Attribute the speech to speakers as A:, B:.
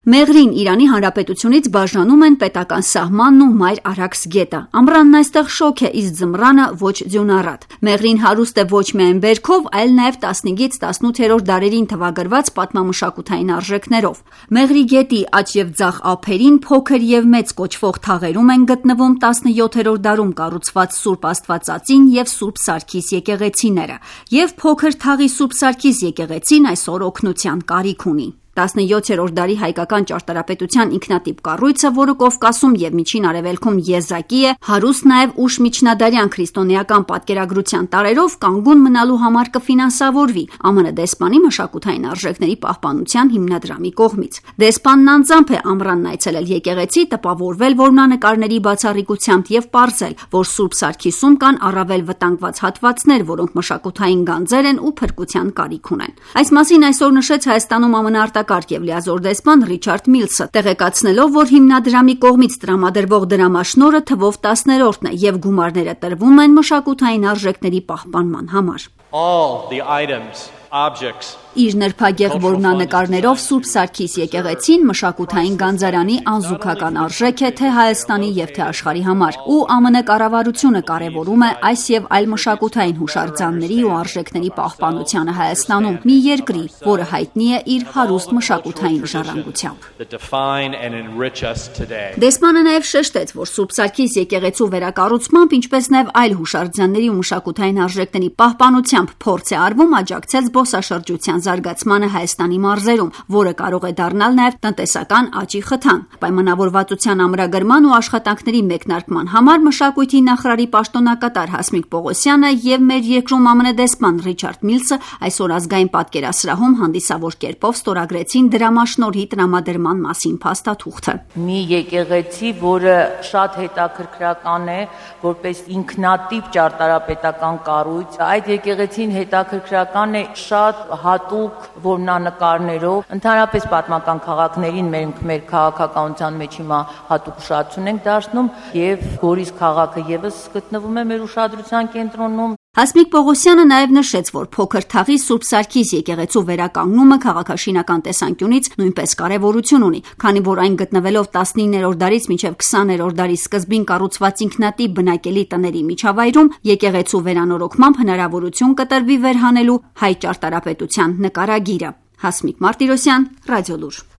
A: Մեղրին Իրանի Հանրապետությունից բաժանում են պետական սահմանն ու Մայր Արաքս գետը։ Ամռանն այստեղ շոգ է, իսկ ձմռանը ոչ ձյունառատ։ Մեղրին հարուստ է ոչ միայն բերքով, այլ նաև 15-ից 18-րդ դարերին թվագրված պատմամշակութային արժեքներով։ Մեղրի գետի աջ եւ ձախ ափերին փոքր եւ մեծ կոչվող թաղերում են գտնվում 17-րդ դարում կառուցված Սուրբ Աստվածածին եւ Սուրբ Սարգիս եկեղեցիները, եւ փոքր թաղի Սուրբ Սարգիս եկեղեցին այսօր օգնության կարիք ունի։ 17-րդ դարի հայկական ճարտարապետության ինքնատիպ կառույցը, որը Կովկասում եւ Միջին Արևելքում եզակի է, հարուստ նաեւ ուշ միջնադարյան քրիստոնեական պատկերագրության տարերով կանգուն մնալու համար կֆինանսավորվի ԱՄՆ դեսպանի մշակութային արժեքների պահպանության հիմնադրամի կողմից։ Դեսպանն անձամբ է ամռանն այցելել եկեղեցի, տպավորվել որմնանկարների բացառիկությամբ եւ պարզել, որ Սուրբ Սարգիսում կան առավել վտանգված հատվածներ, որոնք մշակութային գանձեր են ու փրկության կարիք ունեն։ Այս մասին այսօր նշեց Հայաստանում ԱՄՆ եւ լիազոր դեսպան Ռիչարդ Միլսը, տեղեկացնելով, որ հիմնադրամի կողմից տրամադրվող դրամաշնորհը թվով 10-րդն է եւ գումարները տրվում են մշակութային արժեքների պահպանման համար։ Իր նրբագեղ որմնանկարներով Սուրբ Սարգիս եկեղեցին մշակութային գանձարանի անզուգական արժեք է թե Հայաստանի եւ թե աշխարհի համար, ու ԱՄՆ կառավարությունը կարևորում է այս եւ այլ մշակութային հուշարձանների ու արժեքների պահպանությանը Հայաստանում, մի երկրի, որը հայտնի է իր հարուստ մշակութային ժառանգությամբ։ Դեսպանը նաեւ շեշտեց, որ Սուրբ Սարգիս եկեղեցու վերակառուցմամբ, ինչպես նաեւ այլ հուշարձանների ու մշակութային արժեքների պահպանությամբ փորձ է արվում աջակցել զբոսաշրջության զարգացմանը Հայաստանի մարզերում, որը կարող է դառնալ նաև տնտեսական աճի խթան։ Պայմանավորվածության ամրագրման ու աշխատանքների մեկնարկման համար մշակույթի նախարարի պաշտոնակատար Հասմիկ Պողոսյանը եւ մեր երկրում ԱՄՆ դեսպան Ռիչարդ Միլսը այսօր ազգային պատկերասրահում հանդիսավոր կերպով ստորագրեցին դրամաշնորհի տրամադրման մասին փաստաթուղթը։
B: Մի եկեղեցի, որը շատ հետաքրքրական է, որպես ինքնատիպ ճարտարապետական կառույց, այդ եկեղեցին հետաքրքրական է շատ հատուկ որմնանկարներով, ընդհանրապես պատմական քաղաքներին մեր քաղաքականության մեջ հիմա հատուկ ուշադրություն ենք դարձնում եւ Գորիս քաղաքը եւս գտնվում է մեր ուշադրության կենտրոնում։
A: Հասմիկ Պողոսյանը նաև նշեց, որ փոքր թաղի Սուրբ Սարգիս եկեղեցու վերականգնումը քաղաքաշինական տեսանկյունից նույնպես կարևորություն ունի, քանի որ այն գտնվելով 19-րդ դարից մինչև 20-րդ դարի սկզբին կառուցված ինքնատիպ բնակելի տների միջավայրում եկեղեցու վերանորոգմամբ հնարավորություն կտրվի վերհանելու հայ ճարտարապետության նկարագիրը։ Հասմիկ Մարտիրոսյան, Ռադիոլուր։